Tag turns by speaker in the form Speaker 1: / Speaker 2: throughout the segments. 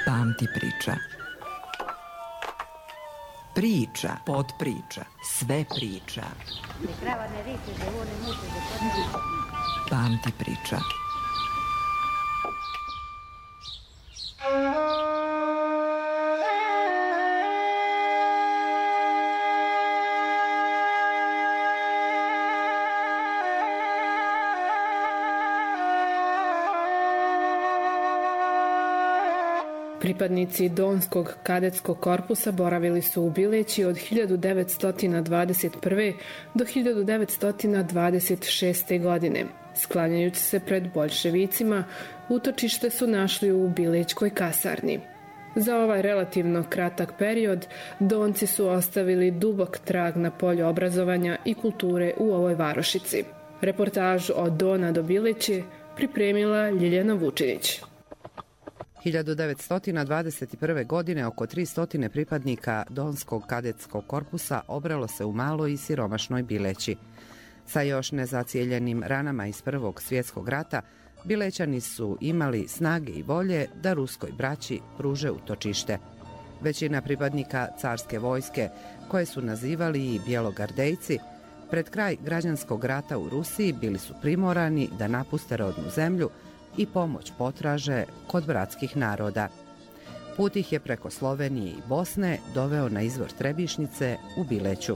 Speaker 1: Pamti priča. Priča, podpriča, sve priča. Pamti priča.
Speaker 2: Pripadnici Donskog kadetskog korpusa boravili su u Bileći od 1921. do 1926. godine. Sklanjajući se pred boljševicima, utočište su našli u Bilećkoj kasarni. Za ovaj relativno kratak period, Donci su ostavili dubok trag na polju obrazovanja i kulture u ovoj varošici. Reportažu od Dona do Bileće pripremila Ljiljana Vučinić.
Speaker 3: 1921. godine oko 300 pripadnika Donskog kadetskog korpusa obralo se u maloj i siromašnoj Bileći. Sa još nezacijeljenim ranama iz Prvog svjetskog rata, Bilećani su imali snage i volje da ruskoj braći pruže utočište. Većina pripadnika carske vojske, koje su nazivali i bjelogardejci, pred kraj građanskog rata u Rusiji bili su primorani da napuste rodnu zemlju i pomoć potraže kod bratskih naroda. Put ih je preko Slovenije i Bosne doveo na izvor Trebišnice u Bileću.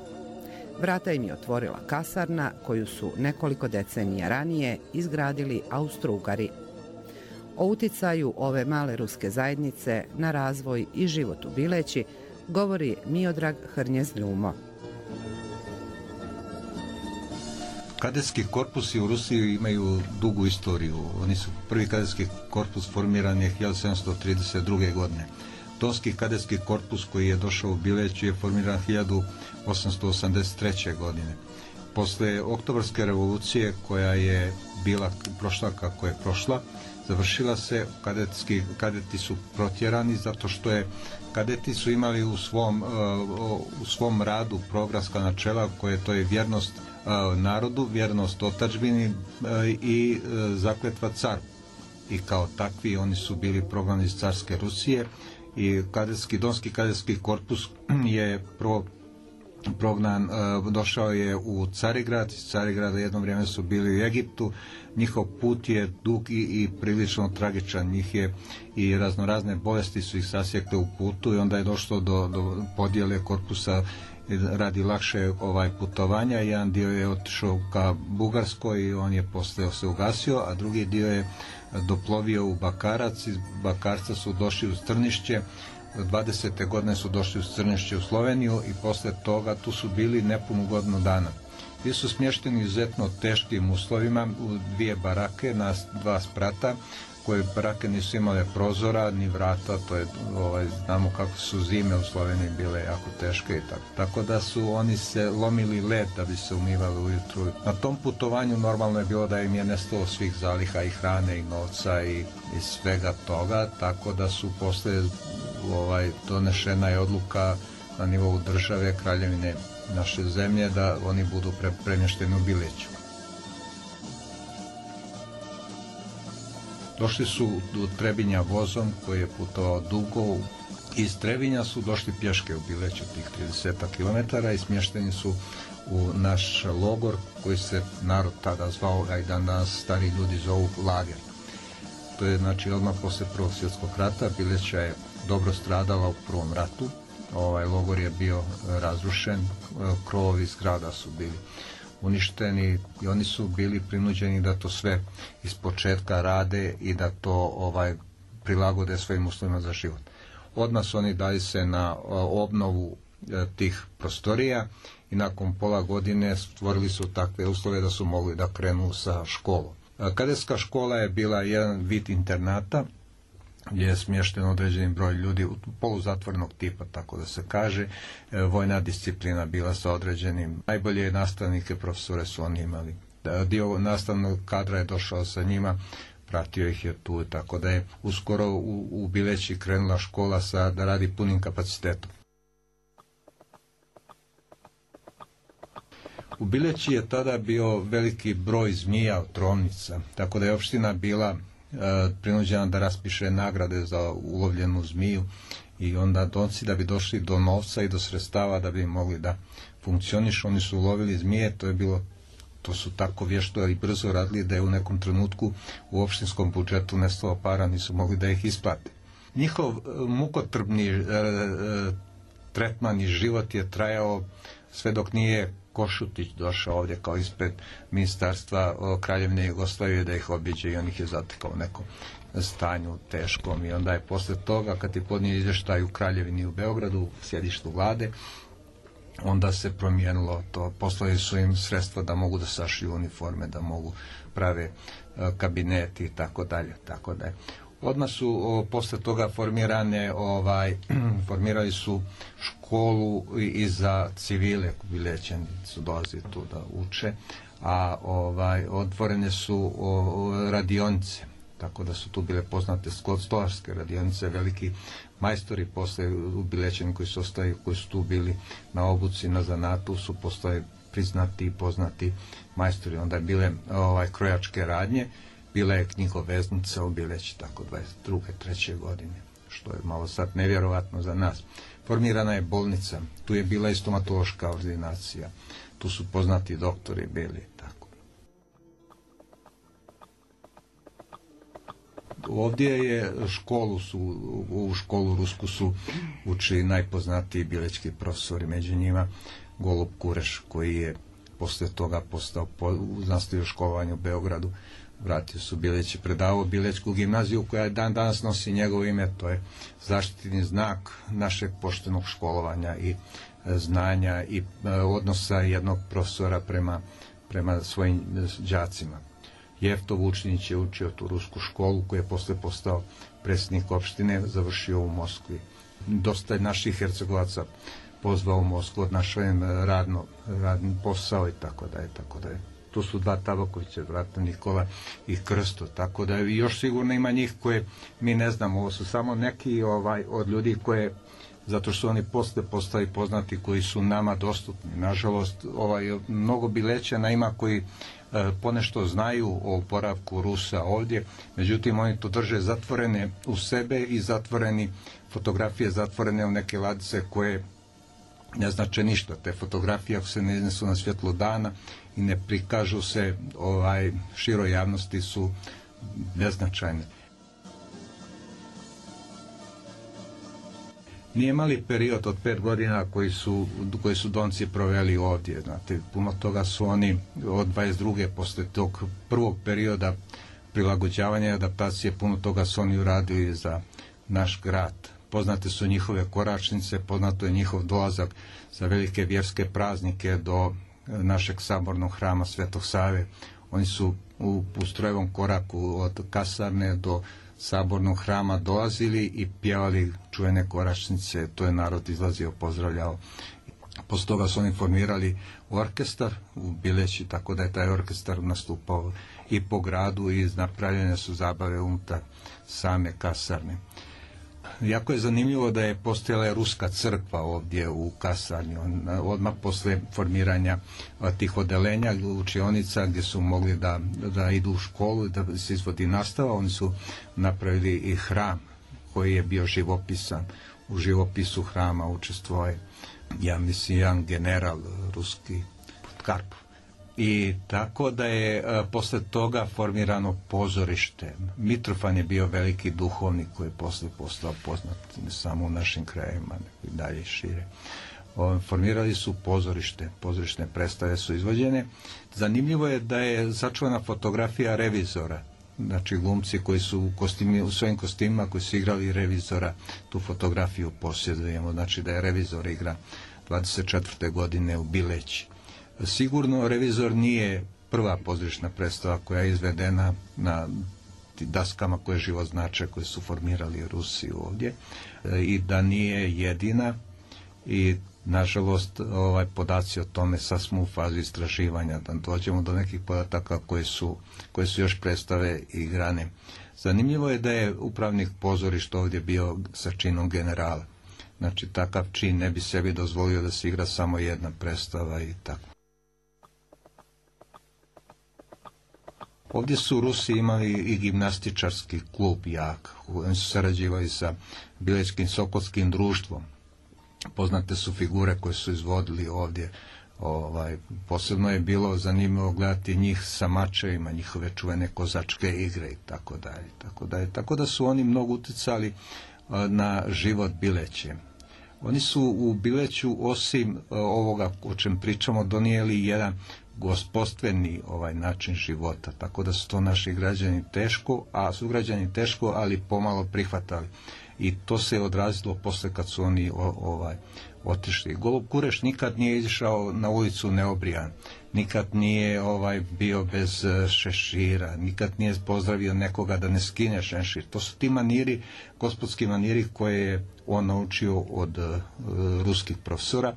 Speaker 3: Vrata im je otvorila kasarna koju su nekoliko decenija ranije izgradili Austro-Ugari. O uticaju ove male ruske zajednice na razvoj i život u Bileći govori Miodrag Hrnjez-Ljumo.
Speaker 4: Kadetski korpusi u Rusiji imaju dugu istoriju. Oni su prvi kadetski korpus formiran je 1732. godine. Donski kadetski korpus koji je došao u Bileću je formiran 1883. godine. Posle Oktobarske revolucije koja je bila prošla kako je prošla, završila se, kadeti su protjerani zato što kadeti su imali u svom radu programska načela koje to je vjernost narodu, vjernost otadžbini i zakletva caru. I kao takvi oni su bili prognani iz carske Rusije i Donski kadetski korpus je prognan, došao je u Carigrad, iz Carigrada jedno vrijeme su bili u Egiptu. Njihov put je dug i prilično tragičan, njih je i raznorazne bolesti su ih sasjekle u putu i onda je došlo do podjele korpusa radi lakše putovanja. Jedan dio je otišao ka Bugarskoj i on je posle se ugasio, a drugi dio je doplovio u Bakarac. Iz Bakarca su došli u Strnišće, 20. godine su došli u Strnišće u Sloveniju i posle toga tu su bili nepunu godinu dana. Bili su smješteni izuzetno teškim uslovima u dvije barake na dva sprata, koje barake nisu imale prozora ni vrata, to je, znamo kako su zime u Sloveniji bile jako teške i tako da su oni se lomili led da bi se umivali ujutru. Na tom putovanju normalno je bilo da im je nestalo svih zaliha i hrane i novca i svega toga, tako da su posle donešena je odluka na nivou države, kraljevine naše zemlje, da oni budu premješteni u Bileću. Došli su do Trebinja vozom koji je putovao dugo. Iz Trebinja su došli pješke u Bileću tih 30 km i smješteni su u naš logor koji se narod tada zvao, a i danas stari ljudi zovu lager. To je znači odmah posle Prvog svjetskog rata. Bileća je dobro stradala u Prvom ratu. Logor je bio razrušen, krovovi zgrada su bili uništeni i oni su bili prinuđeni da to sve iz početka rade i da to prilagode svojim uslovima za život. Odmah su oni dali se na obnovu tih prostorija i nakon pola godine stvorili su takve uslove da su mogli da krenu sa školom. Kadetska škola je bila jedan vid internata gdje je smješten određeni broj ljudi poluzatvornog tipa, tako da se kaže. Vojna disciplina bila sa određenim, najbolje nastavnike, profesore su oni imali. Dio nastavnog kadra je došao sa njima, pratio ih je tu, tako da je uskoro u Bileći krenula škola da radi punim kapacitetom. U Bileći je tada bio veliki broj zmija, otrovnica, tako da je opština bila prinuđena da raspiše nagrade za ulovljenu zmiju i onda Donci, da bi došli do novca i do sredstava da bi mogli da funkcionišu, oni su ulovili zmije, to su tako vješto i brzo radili da je u nekom trenutku u opštinskom budžetu nestalo para, nisu mogli da ih isplate. Njihov mukotrpni tretman i život je trajao sve dok nije Košutić došao ovdje kao ispred ministarstva Kraljevine Jugoslavije da ih obiđe i on ih je zatekao u nekom stanju teškom i onda je posle toga kad je podnio izvještaj u Kraljevini u Beogradu, u sjedištu vlade, onda se promijenilo to, poslali su im sredstva da mogu da sašiju uniforme, da mogu prave kabineti i tako dalje, tako da je. Odmah su posle toga formirali su školu i za civile, Bilećani su dolazili tu da uče, a otvorene su radionice, tako da su tu bile poznate stolarske radionice, veliki majstori posle u Bilećani koji su tu bili na obuci, na zanatu, su postali priznati i poznati majstori. Onda je bile krojačke radnje, bila je knjigoveznica u Bileći, tako 22. 3. godine, što je malo sad nevjerovatno za nas. Formirana je bolnica, tu je bila i stomatološka ordinacija, tu su poznati doktori bili, tako. Ovdje je u školu rusku su učili najpoznatiji bilećki profesori, među njima Golub Kureš, koji je posle toga nastavio školovanje u Beogradu, vratio su Bileći, predavao Bilećku gimnaziju koja dan danas nosi njegovo ime, to je zaštitni znak našeg poštenog školovanja i znanja i odnosa jednog profesora prema svojim đacima. Jefto Vučinić je učio tu rusku školu koju je posle postao predsjednik opštine, završio u Moskvi. Dosta naših Hercegovaca pozvao u Moskvu, odnašao im radni posao i tako da je. Tu su dva Tabakovića, vratno Nikola i Krsto, tako da još sigurno ima njih koje mi ne znamo. Ovo su samo neki od ljudi koje, zato što oni posle postali poznati, koji su nama dostupni. Nažalost, mnogo Bilećana ima koji ponešto znaju o oporavku Rusa ovdje, međutim oni to drže zatvorene u sebe i fotografije zatvorene u neke ladice koje ne znače ništa. Te fotografije, ako se ne iznesu na svjetlo dana i ne prikažu se široj javnosti, su beznačajne. Nije mali period od 5 godina koji su Donci proveli ovdje. Znate, puno toga su oni od 22. posle tog prvog perioda prilagođavanja i adaptacije, puno toga su oni uradili za naš grad. Poznate su njihove koračnice, poznato je njihov dolazak za velike vjerske praznike do našeg sabornog hrama Svetog Save. Oni su u strojevom koraku od kasarne do sabornog hrama dolazili i pjevali čuvene koračnice, to je narod izlazio, pozdravljao. Posle toga su oni formirali orkestar u Bileći, tako da je taj orkestar nastupao i po gradu i napravljene su zabave unutar same kasarne. Jako je zanimljivo da je postojala ruska crkva ovdje u kasarni, odmah posle formiranja tih odelenja, učionica gdje su mogli da idu u školu i da se izvodi nastava. Oni su napravili i hram koji je bio živopisan. U živopisu hrama učestvovao je, ja mislim, jedan general ruski, Karpov. I tako da je posle toga formirano pozorište. Mitrofan je bio veliki duhovnik koji je posle postao poznat ne samo u našim krajevima, nego i dalje šire. Formirali su pozorište, pozorišne predstave su izvođene. Zanimljivo je da je sačuvana fotografija revizora, znači glumci koji su u svojim kostimima koji su igrali revizora, tu fotografiju posjedujemo, znači da je revizor igra 24. godine u Bileći. Sigurno revizor nije prva pozorišna predstava koja je izvedena na daskama koje život znače, koje su formirali Rusi ovdje, i da nije jedina, i nažalost podaci o tome sad smo u fazi istraživanja, da dođemo do nekih podataka koje su još predstave igrane. Zanimljivo je da je upravnik pozorišta ovdje bio sa činom generala. Znači takav čin ne bi sebi dozvolio da se igra samo jedna predstava i tako. Ovdje su Rusi imali i gimnastičarski klub jak. Oni su sarađivali sa Bilećkim Sokolskim društvom. Poznate su figure koje su izvodili ovdje. Posebno je bilo zanimljivo gledati njih sa mačevima, njihove čuvene kozačke igre i tako dalje. Tako da su oni mnogo uticali na život Bileće. Oni su u Bileću, osim ovoga o čem pričamo, donijeli jedan gospodstveni način života, tako da su to naši građani sugrađani teško, ali pomalo prihvatali. I to se je odrazilo posle kad su oni otišli. Golub Kureš nikad nije izišao na ulicu neobrijan, nikad nije bio bez šešira, nikad nije pozdravio nekoga da ne skine šešir. To su ti maniri, gospodski maniri koje je on naučio od ruskih profesora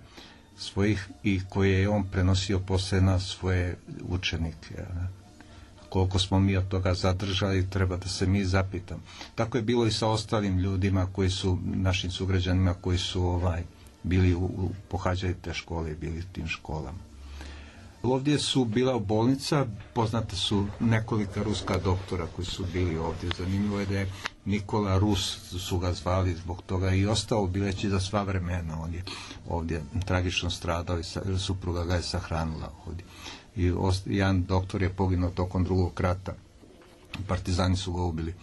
Speaker 4: svojih i koje je on prenosio posle na svoje učenike. Koliko smo mi od toga zadržali, treba da se mi zapitamo. Tako je bilo i sa ostalim ljudima koji su, našim sugrađanima koji su bili pohađali te škole i bili u tim školama. Ovdje su bila bolnica, poznate su nekolika ruska doktora koji su bili ovdje. Zanimljivo je da je Nikola Rus, su ga zvali zbog toga, i ostao u Bileći za sva vremena. On je ovdje tragično stradao i supruga ga je sahranila ovdje. I jedan doktor je poginuo tokom Drugog rata. Partizani su ga ubili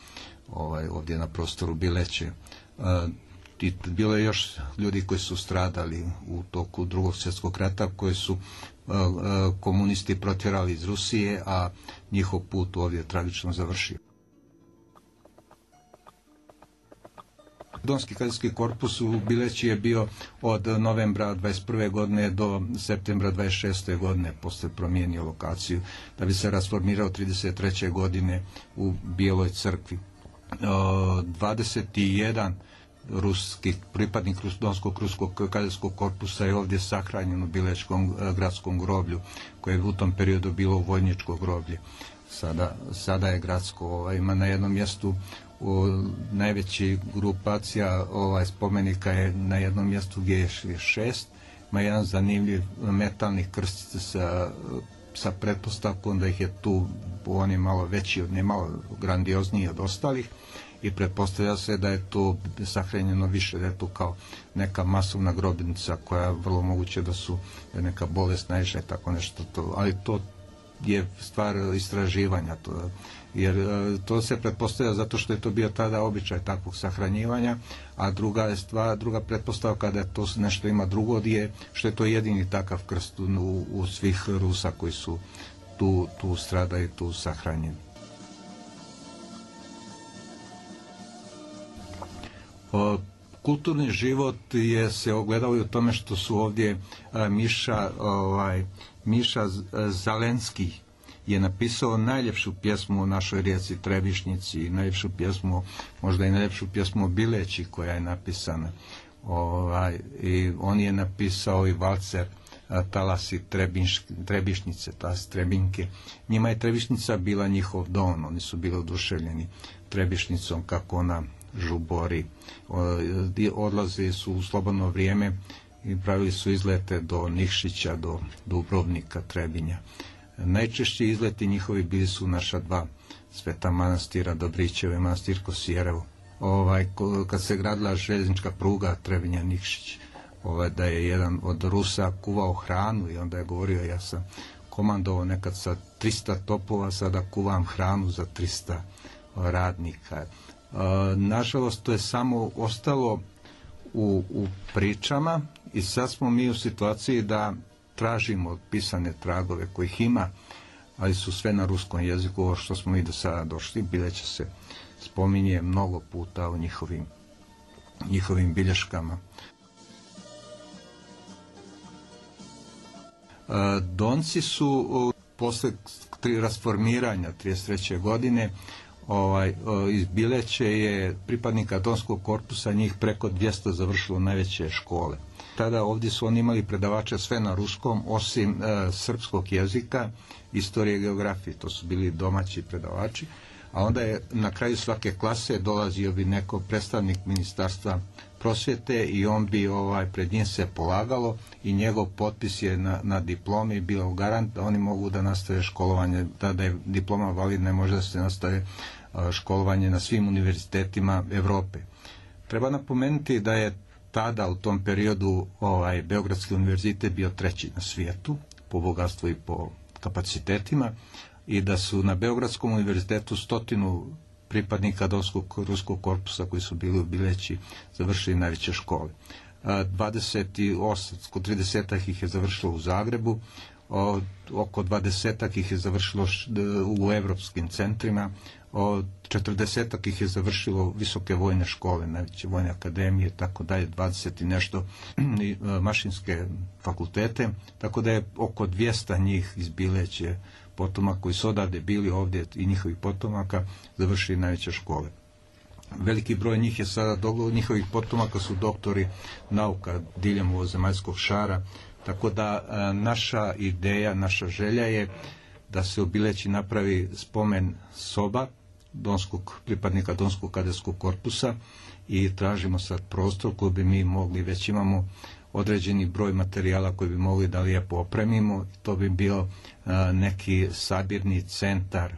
Speaker 4: ovdje na prostoru Bileće. I bilo je još ljudi koji su stradali u toku Drugog svjetskog rata, koji su komunisti protjerali iz Rusije, a njihov put ovdje je tragično završio. Donski kadetski korpus u Bileći je bio od novembra 21. godine do septembra 26. godine, posle promijenio lokaciju, da bi se rasformirao 33. godine u Bijeloj crkvi. 21 ruski pripadnik Donskog ruskog kadetskog korpusa je ovdje sahranjen u Bilečkom gradskom groblju, koje je u tom periodu bilo vojničko groblje. Sada je gradsko, ima na jednom mjestu najveći grupacija spomenika je na jednom mjestu gdje je 6, ima jedan zanimljiv metalni krst sa pretpostavkom da ih je tu, on je malo veći, ne malo grandiozniji od ostalih, i pretpostavlja se da je to sahranjeno više, da je to kao neka masovna grobnica koja je vrlo moguće da su neka bolest naišla i tako nešto, ali to je stvar istraživanja, jer to se pretpostavlja zato što je to bio tada običaj takvog sahranjivanja, a druga pretpostavka da je to nešto ima drugo je što je to jedini takav krst u svih Rusa koji su tu stradaju i tu sahranjeni. Kulturni život se ogledao i u tome što su ovdje Miša Zalenski je napisao najljepšu pjesmu o našoj rijeci Trebišnjici i najljepšu pjesmu, možda i najljepšu pjesmu o Bileći koja je napisana. I on je napisao i valcer Talasi Trebišnjice, Talasi Trebinke. Njima je Trebišnjica bila njihov dom, oni su bili oduševljeni Trebišnjicom kako ona žubori. Odlazili su u slobodno vrijeme i pravili su izlete do Nikšića, do Dubrovnika, Trebinja. Najčešći izleti njihovi bili su naša dva sveta manastira, Dobrićevo i manastir Kosijerevo. Kad se gradila željeznička pruga Trebinja Nikšić, da je jedan od Rusa kuvao hranu i onda je govorio, ja sam komandovao nekad sa 300 topova, sada kuvam hranu za 300 radnika. Nažalost, to je samo ostalo u pričama i sad smo mi u situaciji da tražimo pisane tragove kojih ima, ali su sve na ruskom jeziku. Ovo što smo mi do sada došli, Bileće se spominje mnogo puta u njihovim bilješkama. Donci su posle rasformiranja 1933. godine iz Bileće je pripadnika Donskog korpusa, njih preko 200 završilo najveće škole. Tada ovdje su oni imali predavače sve na ruskom, osim srpskog jezika, istorije i geografije. To su bili domaći predavači. a onda je na kraju svake klase dolazio bi neko predstavnik ministarstva prosvjete i on bi pred njim se polagalo i njegov potpis je na diplomi bio garant da oni mogu da nastave školovanje, da je diploma validna, može da se nastave školovanje na svim univerzitetima Evrope. Treba napomenuti da je tada u tom periodu Beogradski univerzitet bio 3. na svijetu po bogatstvu i po kapacitetima i da su na Beogradskom univerzitetu 100 pripadnika Donskog ruskog korpusa koji su bili u Bileći završili najveće škole. 30 ih je završilo u Zagrebu, oko 20 ih je završilo u evropskim centrima, 40 ih je završilo visoke vojne škole, najveće vojne akademije, tako da je 20 i nešto mašinske fakultete, tako da je oko 200 njih iz Bileće potomaka koji su odavde bili ovdje i njihovih potomaka završili najveće škole. Veliki broj njih je sada, njihovih potomaka su doktori nauka diljem ovozemaljskog šara, tako da naša ideja, naša želja je da se u Bileći napravi spomen soba pripadnika Donskog kadetskog korpusa i tražimo sad prostor koji bi mi mogli, već imamo određeni broj materijala koji bi mogli da lijepo opremimo. To bi bio neki sabirni centar,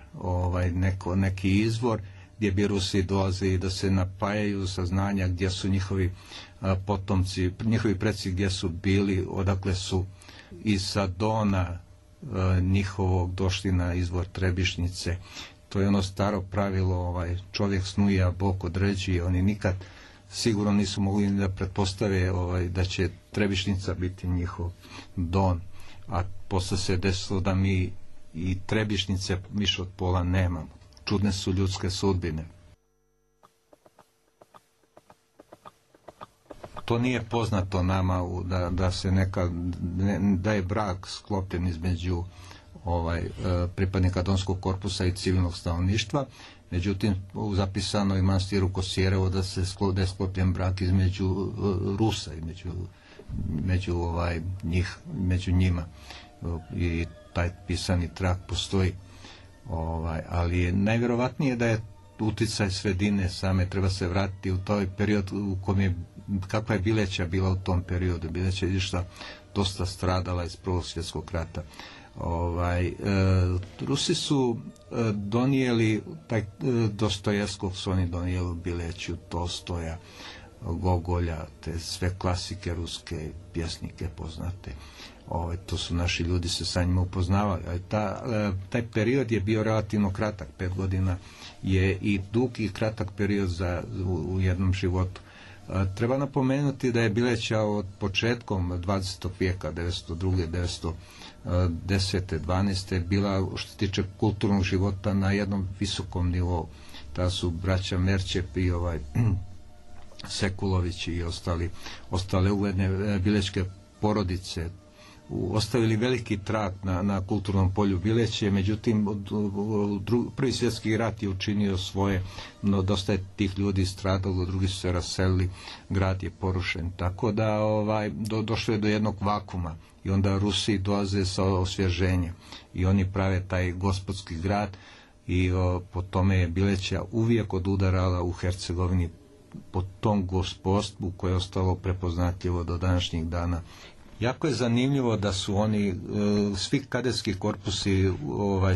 Speaker 4: neki izvor gdje bi Rusi dolazili da se napajaju saznanja gdje su njihovi potomci, njihovi preci gdje su bili, odakle su iz Sadona njihovog došli na izvor Trebišnjice. To je ono staro pravilo, čovjek snuje, a Bog određuje. Oni nikad sigurno nisu mogli da pretpostave da će Trebišnjica biti njihov don, a posle se desilo da mi i Trebišnjice više od pola nemamo. Čudne su ljudske sudbine. To nije poznato nama da je brak sklopljen između pripadnika Donskog korpusa i civilnog stanovništva. Međutim, u zapisanoj manastiru Kosijerevo da je sklopljen brak između Rusa i među njima. I taj pisani trag postoji. Ali je najvjerovatnije da je uticaj sredine same, treba se vratiti u taj period u kom je, kakva je Bileća bila u tom periodu. Bileća je išla dosta stradala iz Prvog svjetskog rata. Rusi su donijeli Dostojevskog su oni donijeli u Bileću, Tolstoja, Gogolja, te sve klasike ruske, pjesnike poznate. To su naši ljudi se sa njima upoznavali. Taj period je bio relativno kratak, 5 godina je i dug i kratak period u jednom životu. Treba napomenuti da je Bileća od početkom 20. vijeka, 1902. 10. 12. bila, što se tiče kulturnog života, na jednom visokom nivou. Ta su braća Merčep i Sekulović i ostale ugledne bilečke porodice ostavili veliki trag na kulturnom polju Bileće. Međutim, Prvi svjetski rat je učinio svoje, no dosta je tih ljudi stradalo, drugi su se raselili, grad je porušen, tako da došlo je do jednog vakuma i onda Rusi dolaze sa osvježenjem i oni prave taj gospodski grad i po tome je Bileća uvijek odudarala u Hercegovini po tom gospodstvu koje je ostalo prepoznatljivo do današnjih dana. Jako je zanimljivo da su oni, svi kadetski korpusi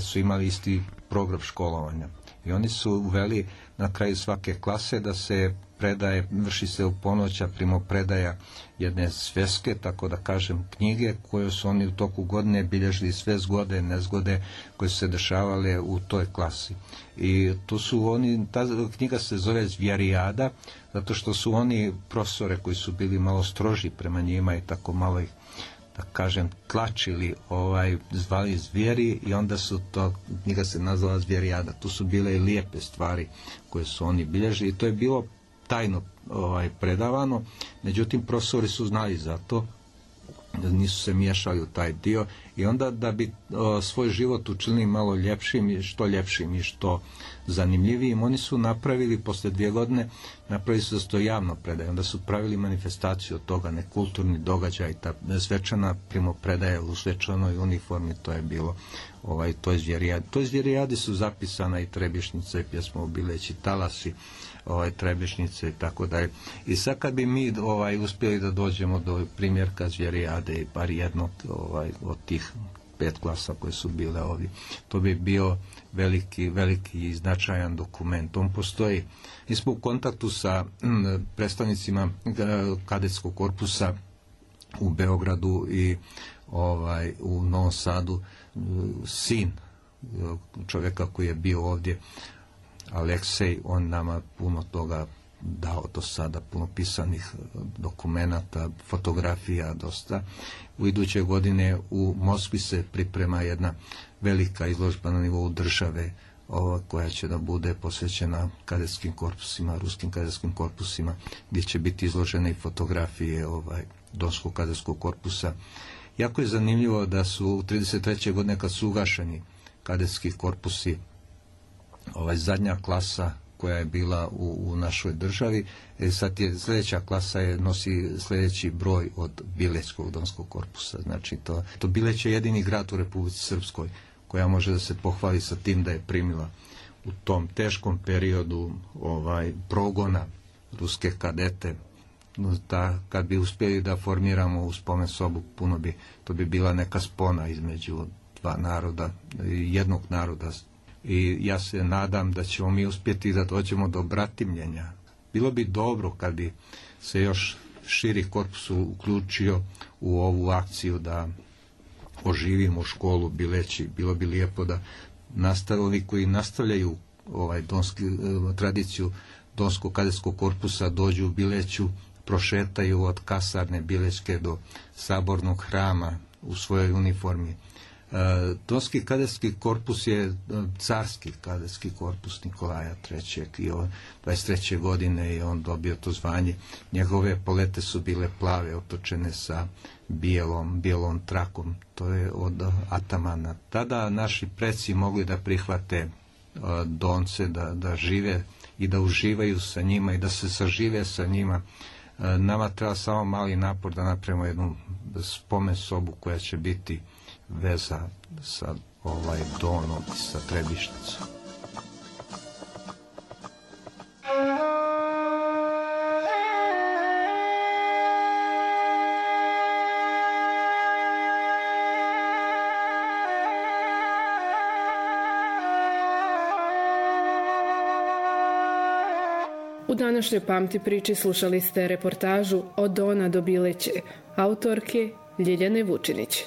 Speaker 4: su imali isti program školovanja i oni su uveli na kraju svake klase da se predaje, vrši se u ponoća primopredaja jedne sveske, tako da kažem knjige koje su oni u toku godine bilježili sve zgode, nezgode koje su se dešavale u toj klasi. I tu su oni, ta knjiga se zove Zvjerijada, zato što su oni profesore koji su bili malo stroži prema njima i tako malo ih, da kažem, tlačili, zvali zvijeri i onda su to, knjiga se nazvala Zvjerijada. Tu su bile i lijepe stvari koje su oni bilježili i to je bilo tajno predavano, međutim profesori su znali za to nisu se miješali u taj dio i onda da bi svoj život učinili malo ljepšim i što zanimljivijim, oni su napravili posle 2 godine, napravili su da se to javno predaje, onda su pravili manifestaciju od toga, nekulturni događaj, ta svečana primopredaja u svečanoj uniformi, to je bilo toj zvjerijadi su zapisana i Trebišnjica i pjesma o Bileći, talasi, Trebišnjice i tako dalje. I sad kad bi mi uspjeli da dođemo do primjerka zvijerijade i bar jednog od tih 5 klasa koje su bile ovdje, to bi bio veliki i značajan dokument. On postoji. Mi smo u kontaktu sa predstavnicima kadetskog korpusa u Beogradu i u Novom Sadu. Sin čovjeka koji je bio ovdje, Aleksej, on nama puno toga dao do sada, puno pisanih dokumenata, fotografija dosta. U iduće godine u Moskvi se priprema jedna velika izložba na nivou države koja će da bude posvećena kadetskim korpusima, ruskim kadetskim korpusima, gdje će biti izložene i fotografije Donskog kadetskog korpusa. Jako je zanimljivo da su u 33. godine kad su ugašeni kadetski korpusi, zadnja klasa koja je bila u našoj državi, sad sljedeća klasa nosi sljedeći broj od Bilećkog Donskog korpusa. Znači to Bileć je jedini grad u Republici Srpskoj koja može da se pohvali sa tim da je primila u tom teškom periodu progona ruske kadete. Kad bi uspjeli da formiramo u spomen sobu, to bi bila neka spona između 2 naroda, jednog naroda. I ja se nadam da ćemo mi uspjeti da dođemo do bratimljenja. Bilo bi dobro kad bi se još širi korpus uključio u ovu akciju da oživimo školu Bileći. Bilo bi lijepo da nastavili koji nastavljaju tradiciju Donskog kadetskog korpusa dođu u Bileću, prošetaju od kasarne Bilećke do sabornog hrama u svojoj uniformi. Donski kadetski korpus je carski kadetski korpus Nikolaja III. I 23. godine je on dobio to zvanje. Njegove polete su bile plave, otočene sa bijelom trakom. To je od atamana. Tada naši preci mogli da prihvate Donce, da žive i da uživaju sa njima i da se sažive sa njima. Nama treba samo mali napor da napravimo jednu spomen sobu koja će biti veza sa Donom i sa Trebišnicom.
Speaker 2: U današnjoj Pamti priči slušali ste reportažu Od Dona do Bileće, autorke Ljiljane Vučinić.